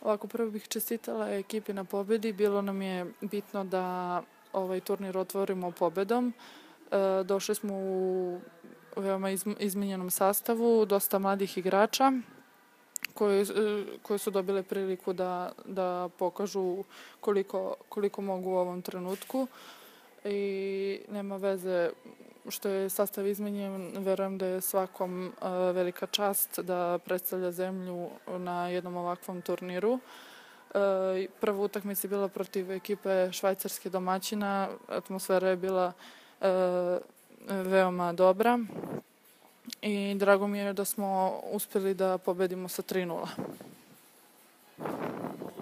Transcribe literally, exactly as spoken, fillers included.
Ovako, prvo bih čestitala ekipi na pobedi. Bilo nam je bitno da ovaj turnir otvorimo pobedom. E, došli smo u veoma izmenjenom sastavu, dosta mladih igrača koji, koji su dobile priliku da, da pokažu koliko, koliko mogu u ovom trenutku. I nema veze što je sastav izmenjen, verujem da je svakom uh, velika čast da predstavlja zemlju na jednom ovakvom turniru. Uh, prva utakmica je bila protiv ekipe švajcarske domaćina, atmosfera je bila uh, veoma dobra i drago mi je da smo uspeli da pobedimo sa tri nula.